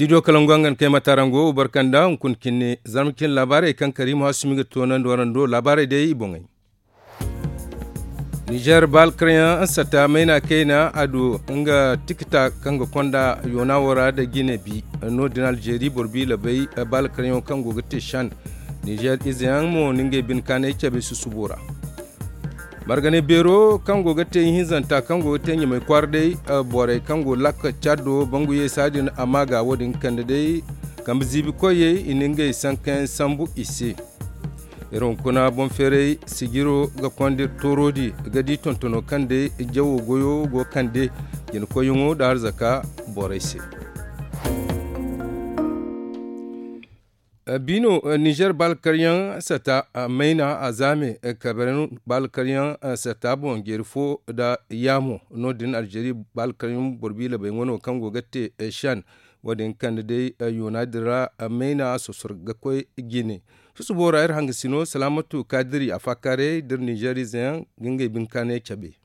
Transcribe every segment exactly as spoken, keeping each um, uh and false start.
Studio kalangu hangan kay matarango barkanda hunkuna kinne zarma kin laabaarey kaŋ karimu hasumi ga toonandi warando laabaarey day i boŋey. Nizer baalkaryaŋ sata mayna kayna a du nga tikita kaŋ ga konda yoona wo ra da jine bi. No- din alzeeri boro bi labay baalkaryaŋo kaŋ go ga te shan nizer izeyaŋ mo no ngey bine kaanay cabe susubo ra. Marganay beero kaŋ go ga te ihinzanta kaŋ go ga te ɲamay kwaara day borey kaŋ go lakka caddo bangu yeesa din a ma ga wo- din kande day kambe ziibi koyey i na ngey sankayaŋ sambu i se. Iri hunkuna boŋ feeray sijiro ga konda iri tooro di ga di tontono kaŋ day jawo goyo go kande jina koyyaŋo nda arzaka borey se. Biino nizer baalkaryaŋ sata mayna a zaame kabeeray baalkaryaŋ sata boŋ jeeri fo nda yaamo no- din alzeeri baalkaryaŋ boro biila bay wano kaŋ go ga te shan wo- din kande day yoona din ra mayna a sosor ga koy jine. Susubo ra iri hangasino salaamatu kaadiri a faakaaray da iri nizer izeyaŋ ga ngey bine kaanay cabe.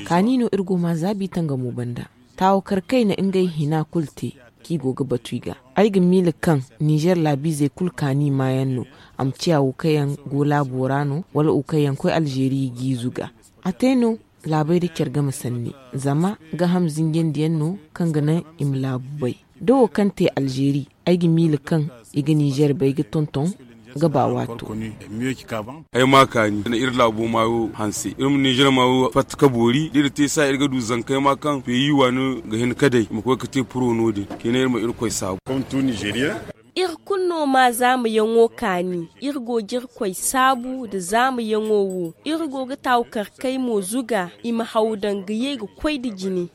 Kaani no iri go ma zaabi tangamo banda. Taawo kar kayna ngey hina kulu te kaŋ i go ga batu i ga. Ay ga miila kaŋ nizer laabiizey kulu kaani maayaŋ no. A ma ciya wo kaŋ yaŋ go laabo ra no wala wo kaŋ yaŋ koy alzeeri i g'i zuga. A te no laabey nda care game sanni zama gaaham zinjandiyaŋ no kaŋ ga naŋ i ma laabu bay. Da wo kaŋ te alzeeri ay ga miila kaŋ i ga nizer bay ga tonton ga ba waato. Ay ma kaani nda iri laabo maayo hanse iri ma nizer maayo fatta ka boori da iri te saaya iri ga du zanka ay ma kaŋ peyi waani ga hin ka day i ma koy ga te puro no- din. Kine iri ma irkoy saabu. Iri kulu no ma zaamayaŋo kaani. Iri go ga irkoy saabu nda zaamayaŋo wo. Iri go ga taawu kar kay mo zuga i ma haw daŋ ga ye ga koy nda jine.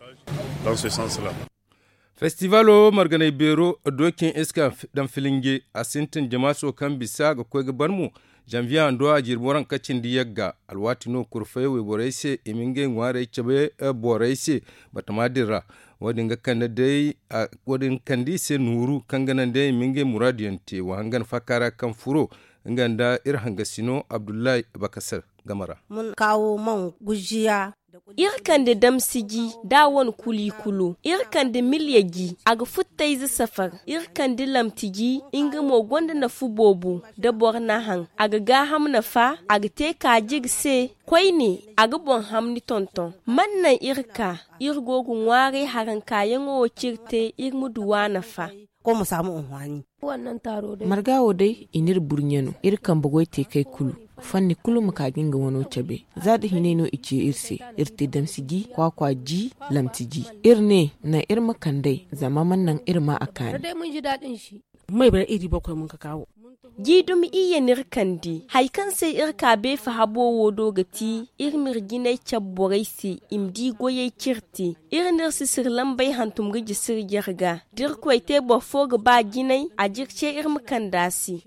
Festivaalo marganay beero dookin iska daŋ filinje a sintin jamaaso kaŋ bisa ga koy ga ban mo. Zanviye hando a jirbi waranka cindi yagga alwaati no kurfay wayborey se i ma ngey ŋwaarey cabe borey se batama din ra. Wo- din ga kande i se nooru kaŋ ga naŋ day i ma ngey muraadu yaŋ te wa hangan faaka ra kaŋ furo nga nda iri hangasino abdullahi bakasar game ra. Iri kande damsiji da a wane kulu i kulu iri kande milya ji a ga futtayze safar. Iri kande lamti ji nga mo gonda nafa boobo da boro na haŋ a ga gaaham nafa a ga te kaaji ga se. Koyne a ga boŋ hamni tonton man naŋ iri ka iri go ga ŋwaaray harankaayaŋo wo cire te iri ma du a nafa. Marga wo day i n'iri burɲe no iri kambe goy te kay kulu. Fanni kulu ma ka ga nga wano cabe za da hinay no i ce iri se. Iri te damsi ji kwaakwa ji lamti ji iri ne naŋ iri ma kand'ey zama man naŋ iri ma a kaani. May bay iri bokoy mun ka kaawo. Ji dumi iyye n'iri kande hari kaŋ se iri ka beefa habo wo do ga ti iri m'iri jinay cabe borey se i ma di goyey c'iri te. Iri n'iri sisiri lambey hantum ga jisi iri jare ga da irkoy te boro fo ga ba jinay a jire ce iri ma kande a se.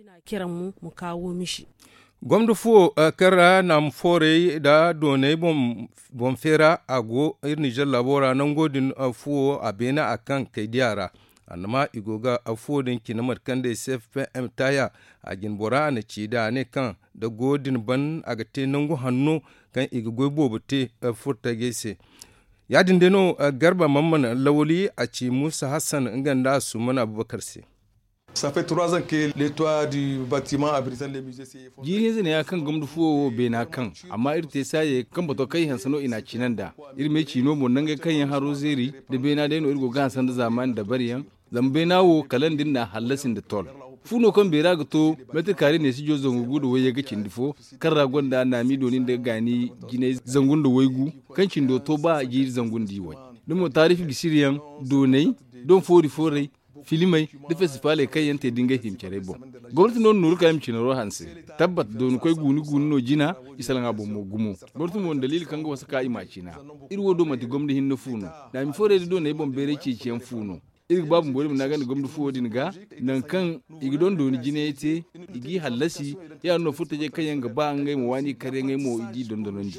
Gomdo fuwo kaŋ ra naama foorey nda dooney boŋ feera a go iri nizer laabo ra nango din fuwo a beene a kaŋ kay diya ra. Annama i go ga afuwo din cine mate kaŋ day cfpm taaya a jine bora a na ci da a ne kaŋ da goyo din ban a ga te nangu hanno kaŋ i ga goy boobo te furtajey se. Ya- din day no garba mamman lawali a ci muusa hassan nga nda a summan abubakar se. Jiiri hinza neeya kaŋ gomdo fuwo wo beena kaŋ amma iri te saayey kaŋ bato kaŋ i hanse no i n'a cina nd'a. Iri m'ay ci no mo nangey kaŋ yaŋ haro zeeri nda beena day no iri go ga hanse nda zaamaani dabariyaŋ. Zama beena wo kala nda iri n'a hallasi nda tol. Fu no kaŋ beera ga to meetir kaare neesijo zangu gu nda wayye ga cindi fo kaŋ ra gonda naami dooni nda gaani jinay zangu nda waygu kaŋ cindo to ba jiiri zangu nda iway. Da mo taarifi gisi iri yaŋ doonay doŋ foori fooray filimey nda festifaaley kaŋ yaŋ te da ngey hima carey boŋ. Gomnati no na nooru ka i ma cinaro hanse. Tabbat dooni koy guuni guuni no jina i salaŋ a boŋ mo gumo. Gomnati mo na daliili kaŋ ga wasa ka i m'a cina. Iri wo do manti gomna hinne fu no. Naami foorey da dooney boŋ bayray ceeciyaŋ fu no. Iri ga ba bumbo iri ma naagandi gomna fuwo din ga nangu kaŋ i ga doŋ dooni jinayey te i g'i hallasi. Ya- din no furtajey kaŋ yaŋ ga ba ngey ma waani karyaŋey mo i g'i dondonandi.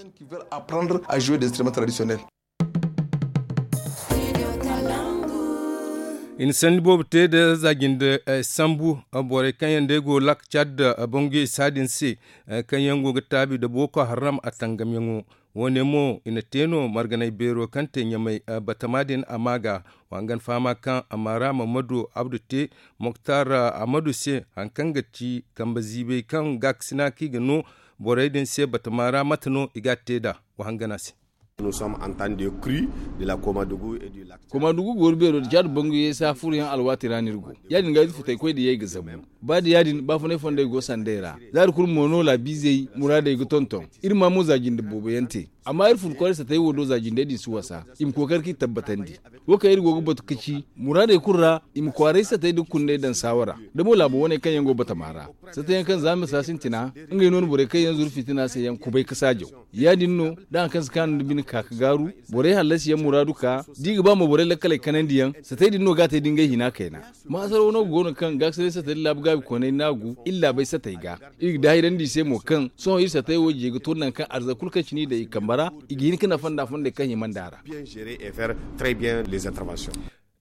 I na sanni boobo te nda za jinde sambu borey kaŋ yaŋ day go laaka caad da bangu isa din se, kaŋ yaŋ go ga taabi nda booko haram a tangamyaŋo. Wo- ne mo i na te no marganay beero kaŋ te ɲamay batama din a ma ga. Wa hangan fahama kaŋ a ma ra mamadu abdu te moktar ahmadu se, hari kaŋ ga ci kambe ziibay kaŋ gaakasina kaŋ i ga no borey din se batama ra mate no i ga a te nd'a. Wa hangana se. Koma dugu goori beero da caadi bangu ye se a furo yaŋ alwaati ra no iri go. Ya- din ga iri futay koy da ye i ga zabu. Ba da ya- din baafunay fondey go sanday ra. Za iri kulu mo no laabiizey muraadey ga tonton. Iri ma mo za jinde boobo yaŋ te. Amma iri fun kwaarey satay wo do za jindey din si wasa i ma kookari k'i tabbatandi. Wo kaŋ iri go ga batu ka ci muraadey kulu ra i ma kwaaray satay nda kundey daŋ saawara. Da mo laabo wane kaŋ yaŋ go batama ra, satay yaŋ kaŋ za misa sintina ngey no na borey kaŋ yaŋ zuru fitina se yaŋ kubay ka saajaw. Ya- din no da hari kaŋ si kaanu nda bine ka ka gaaru, borey hallasi yaŋ muraadu ka da i ga ba mo borey lakkaley kanandi yaŋ satay din no ga a te da ngey hina kayna. Maasar wano go no kaŋ gaakasinay satay nda laabu gaabi koonay naagu iri laabey satay ga. Iri ga daahirandi i se mo kaŋ sohõ iri satay wo je ga to nangu kaŋ arza kulu kaŋ cine i daŋ i kambe ra, i ga hin ka nafa nd'a fondey kaŋ hima nd'a ra.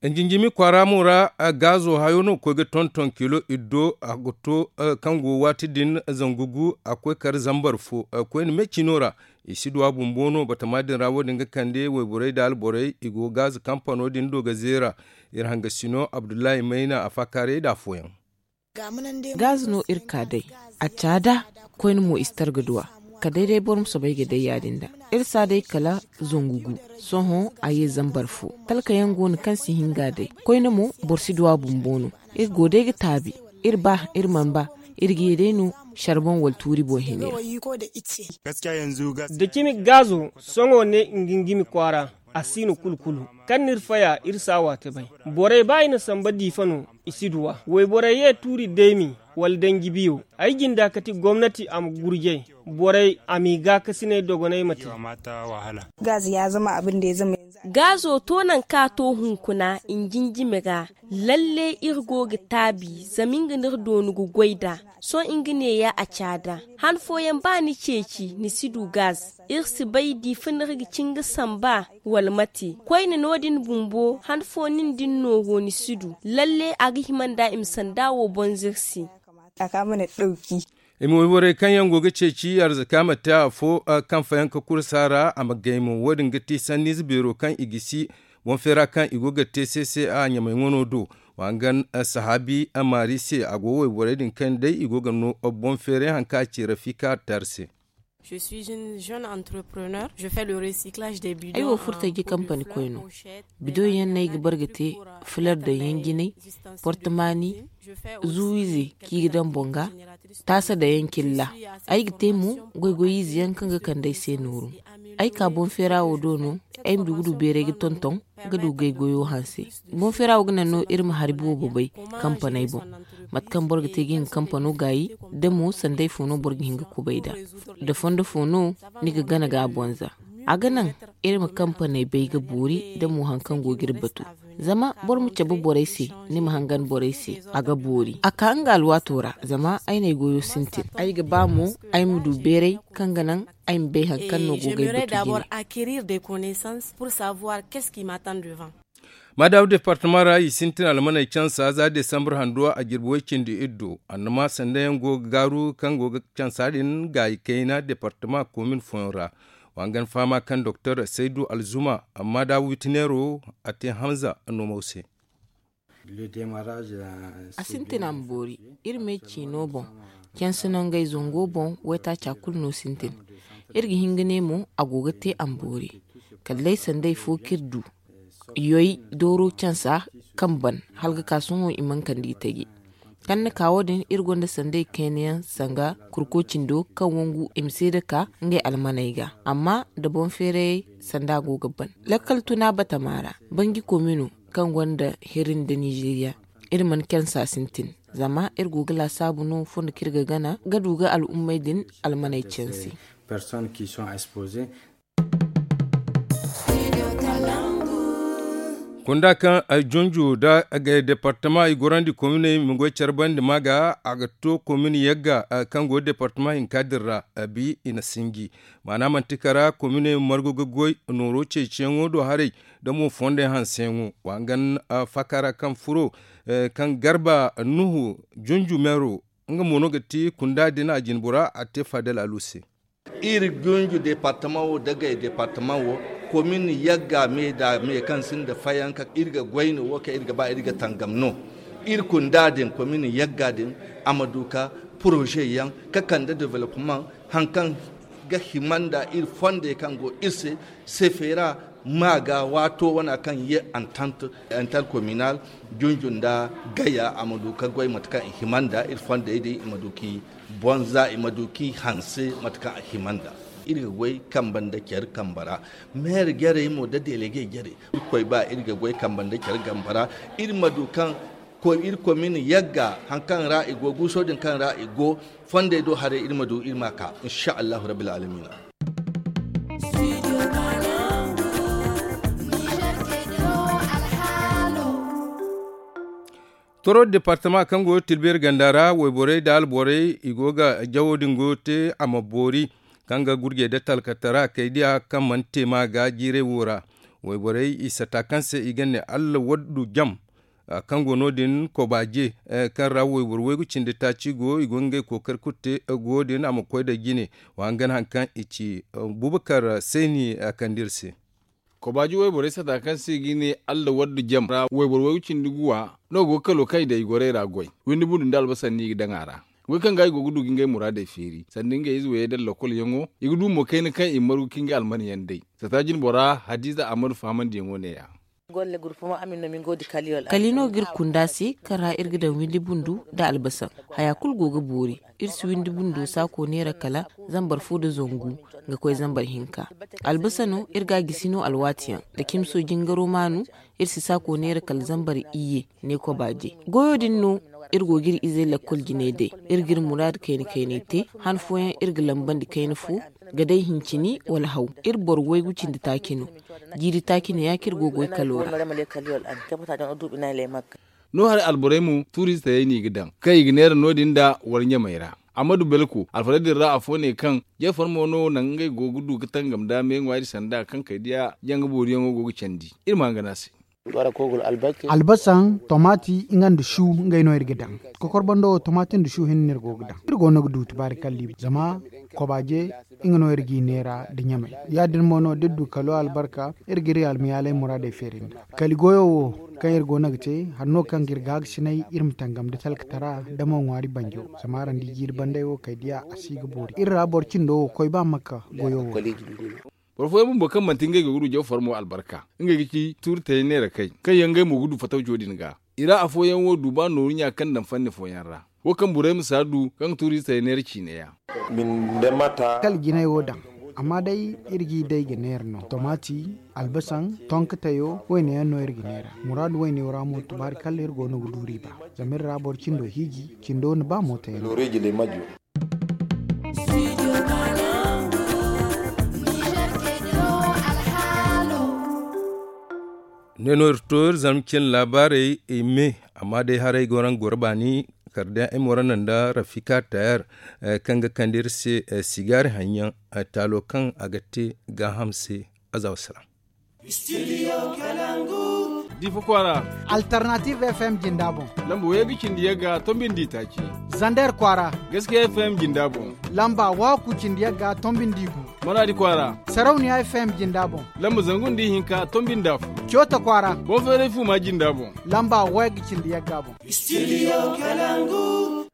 Nzinjimi kwaara mo ra gaazo hayo no ga koy ga tonton kilo iddo a ga to kaŋ go waati din zangu gu a koy kar zambar fo. Koyne me ciino ra i si duw'a bumbo no batama din ra wo- din ga kande wayborey nda alborey i go gaazo kampano din do ga zeera. Iri hangasino abdullahi mayna a faakaaray nd'a afooyaŋ. Gaazi no iri ka day a caada. Koyne mo i si targa duw'a kala day day boro ma soobay ga day ya- din da iri si a day kala zangu gu. Sohõ a ye zambar fo talka yaŋ go no kaŋ si hin ga a day. Koyne mo boro si duw'a bumbo no. Iri go day ga taabi iri ba iri mana ba iri ga ye day no. Sarbon wala tuuri boŋ hina yaŋ. Da cimi gaazo sohõ ne ngingimi kwaara a si no kulu kulu. Kaŋ n'iri faya iri si a waate bay. Borey ba i na samba diifa no i si duw'a wayborey ye tuuri deemi wala danji biyo. Ay jinda kati gomnati a ma gurjay borey a m'i gaakasinay dogonay ma te. Gaazo to nangu kaŋ a to hunkuna i na jinjimi ra. Lalle iri go ga taabi zama nga no iri doonu ga goy nd'a. Sohõ nga neeya a caada han fooyaŋ ba ni ceeci ni si du gaaz. Iri si bay diifa no iri ga ci nga samba wala mate. Koyne no- din bumbo han fo nin da ni nooro ni si du. Lalle a ga hima nd'a i ma sanda wo bonza iri se. I ma wayborey kaŋ yaŋ go ga ceeci arzaka ma te afo kaŋ fayanka kursa ra a ma gay mo wo- din ga ti sanniize beero kaŋ i gisi boŋ feera kaŋ i go ga te se se a ɲamay ŋwano do. Wa hangan sahaabi maari se a go wayborey din kaŋ day i go ga no boŋ feeray hari kaŋ a ci rafika taari se. Ay wo furtaji kampani koy no. Bidoŋ yaŋ no ay ga bare ga te fular daŋ yaŋ jinay, portamaani, zuwiize kaŋ i ga daŋ boŋ ga, taasa daŋ yaŋ cilla. Ay ga te mo goy-goy ize yaŋ kaŋ ga kande ay se nooru. Ay ka boŋ feera wo do no. Ay ma du ga du beeray ga tonton ga du gay goyo hanse. Boŋ feera wo ga naŋ no iri ma hari boobo bay kampaney boŋ. Mate kaŋ boro ga te ga nga kampano gaayi da mo sanday fo no boro ga hin ga kubay nd'a. Da fondo fo no ni ga gana ga a bonza. A ga naŋ iri ma kampaney bay ga boori da mo hari kaŋ go ga iri batu. Zama boro ma cabe borey se, ni ma hangan borey se a ga boori a ka nga alwaato ra. Zama ay n'ay goyo sintin ay ga ba mo ay ma du beeray kaŋ ga naŋ ay ma bay hari kaŋ no go ga ay batu jine. Maadaama departama ra i sintin almaney cansa za desambar handuwa a jirbi way cindi iddu annama sanda yaŋ go ga gaaru kaŋ go ga cansa din gaayi kayna departama komin fooyaŋ ra. Wa hangan fahama kaŋ doktor saydu alzuma amma da witineero a te hamza no mo se. A sintin a ma boori. Iri me ciino boŋ canse no ngey zango boŋ waytaaca kulu no sintin. Iri ga hin ga ne mo a go ga te a ma boori. Kala day sanday fo kaŋ iri du yoy dooro cansa kaŋ ban hala ga ka sohõ i mana kande itaji. Kaŋ ni ka wo- din iri gonda sanday kayna yaŋ sanga kurko cindo kaŋ wangu i ma seeda ka ngey almaney ga. Amma da boŋ feerayey sanda go ga ban lakkal tuna batama ra banji komino kaŋ gonda heri nda nizeeriya. Iri mana cansa sintin zama iri go ga laasaabu no fondo kaŋ iri ga gana ga du ga al'ummey din almaney canse. Kunda kaŋ junju nda gay departama i gorandi kominey ma goy care bandi ma ga a ga to komin yagga kaŋ go departama hinka din ra. Bi i na sinji maana manti kara kominey margu ga goy nooro ceeciyaŋo do haray da mo fondey hanseyaŋo wa hangan fakara kaŋ furo kaŋ garba nuhu junju meero nga mo no ga ti kunda din a jinbora a te fadel alu se. Iri gunju departama wo dagay departama wo komin yagga me da me kaŋ sinda fayanka iri ga goyno wo kaŋ iri ga ba iri ga tangam no. Iri kunda din komin yagga din a ma du ka poroze yaŋ ka kande development haŋkaŋ ga hima nda iri fondey kaŋ go iri se sefera ma ga waato wana kaŋ ye antant intercommunal junju nda gaya a ma du ka goy mate kaŋ i hima nda iri fondey din i ma du k'i bonza i ma du k'i hanse mate kaŋ a hima nda. Iri ga goy kambe nda care kambe ra meere jarey mo nda delege jarey. Iri koy ba iri ga goy kambe nda care kambe ra iri ma du kaŋ iri komin yagga haŋkaŋ ra i go guuso din kaŋ ra i go fondey do haray iri ma du iri ma ka insa allahu rabbil alamina. Toro departama kaŋ go tilbeeri ganda ra wayborey nda alborey i go ga jawo din goyo te a ma boori kaŋ ga gurjey nda talkatara kay diya kaŋ mana te ma ga jiiray wo ra. Wayborey i sata kaŋ se i ga ne allah waddu jam kaŋ go no- din kobaaje kaŋ ra wayboro waygu cindi taaci go i go ngey kookari kulu te go din a ma koy nda jine wa hangan hari kaŋ i ci. Bubakar sayni kande iri se. Kobaaji wayborey sata kaŋ se i ga ne allah waddu jam ra wayboro waygu cindi guwa no go ga kalo kaŋ i daŋ i gorey ra goy. Windi bundu nda albasan no i ga daŋ a ra. Goy kaŋ ga i go ga du ga ngey muraadey feeri sanda ngey ize wayey daŋ lokol yaŋo i ga du mo kayna kaŋ i margu ka ngey alman yaŋ day. Sata jinbora hadiza ahmadu fahamandiyaŋo ne- ya. Kala i no ga iri kunda se kaŋ ra iri ga daŋ windi bundu nda albasan. Haya kulu go ga boori. Iri si windi bundo saako neera kala zambar fo nda zangu ga koy zambar hinka. Albasa no iri ga a gisi no alwaati yaŋ da cimso jingaro maanu. Iri si saako neera kala zambar iyye ne kobaaje. Goyo din no iri go ga iri izey lakkol jinay day. Iri ga iri muraadu kayna kaynay te. Han fooyaŋ iri ga lambandi kayna fo ga day hincini wala haw. Iri boro waygu cindi taaci no. Jiiri taaci no ya kaŋ iri go ga goy kalo ra. No haray alborey mo tuuriize tayey no i ga daŋ kaŋ i ga neera no- din nda war ɲamey ra. Amma du belko alfarey din ra afo ne kaŋ jeefar mo no naŋ ngey go ga du ga tangam nda me ŋwaari sanda kaŋ kay diya janga booriyaŋo go ga candi. Iri ma hangan a se. Albasaŋ tomaati nga nda su ngey no iri ga daŋ. Kokor bando wo tomaati nda su hinne no iri go ga daŋ. Iri go no ga du tubaari kalli zama kobaaje nga no iri g'i neera nda ɲamey. Ya- din mo no da iri du kalo albarka iri ga iri almayaaley muraadey feeri nda kali goyo wo kaŋ iri go no ga te. Hari no kaŋ ga iri gaagasinay iri ma tangam nda talkatara nda mo ŋwaari banjo. Zama araŋ di jiiri banday wo kay diya a si ga boori iri ra boro cindo wo koy ba makka goyo wo. Boro fooyaŋ bumbo kaŋ manti ngey go ga du jaw farmo albarka ngey ga ci tuuri tayey neera kay kaŋ yaŋ ngey mo ga du fatawco din ga. I ra afooyaŋ wo du ba nooru ɲa kaŋ daŋ fanni fooyaŋ ra. Wo kaŋ burey ma si a du kaŋ ga tuuriize tayey neera ciine ya. Kala jinay wo daŋ. Amma day iri g'i day ga neera no tomaati, albasaŋ, tonka tayo wayne yaŋ no iri ga neera. Muraadu wayne wo ra mo tubaari kala iri go no ga du riiba. Zama iri ra boro cindo hiiji cindo na ba mootayaŋ. Ne no iri to iri zama cin laabaarey i me. Amma day haray go naŋ goro baani kala day ay mo ra naŋ nda rafika tayar kaŋ ga kande iri se sigaari haŋyaŋ taalo kaŋ a ga te gaaham se. Azawa salaam. Difa kwaara. Alternative fm jinda boŋ. Lamba waygu cindi yagga tombi nda itaaci. Zander kwaara. Gaskiya fm jinda boŋ. Lamba waaku cindi yagga tombi nda igu. Maraadi kwaara. Sarauniya fm jinda boŋ. Lamba zangu nda ihinka tombi nda afo. Coota kwaara. Boŋ feeray fuuma jinda boŋ. Lamba waygu cindi yagga boŋ. Studio kalangu.